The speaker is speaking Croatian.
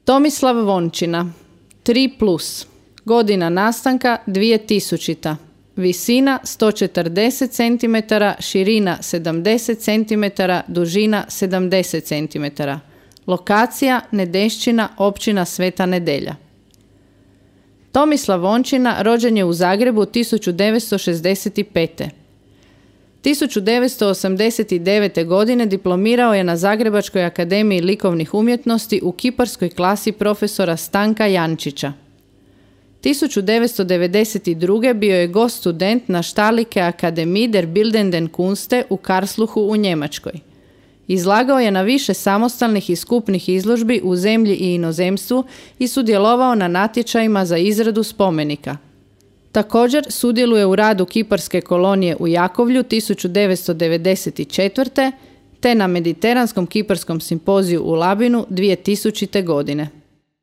Tomislav Vončina, 3+, godina nastanka 2000. Visina 140 cm, širina 70 cm, dužina 70 cm. Lokacija Nedešćina, općina Sveta Nedelja. Tomislav Vončina rođen je u Zagrebu 1965. 1989. godine diplomirao je na Zagrebačkoj akademiji likovnih umjetnosti u kiparskoj klasi profesora Stanka Jančića. 1992. bio je gost student na Štalike Akademie der Bildenden Kunste u Karlsruhu u Njemačkoj. Izlagao je na više samostalnih i skupnih izložbi u zemlji i inozemstvu i sudjelovao na natječajima za izradu spomenika. Također sudjeluje u radu kiparske kolonije u Jakovlju 1994. te na Mediteranskom kiparskom simpoziju u Labinu 2000. godine.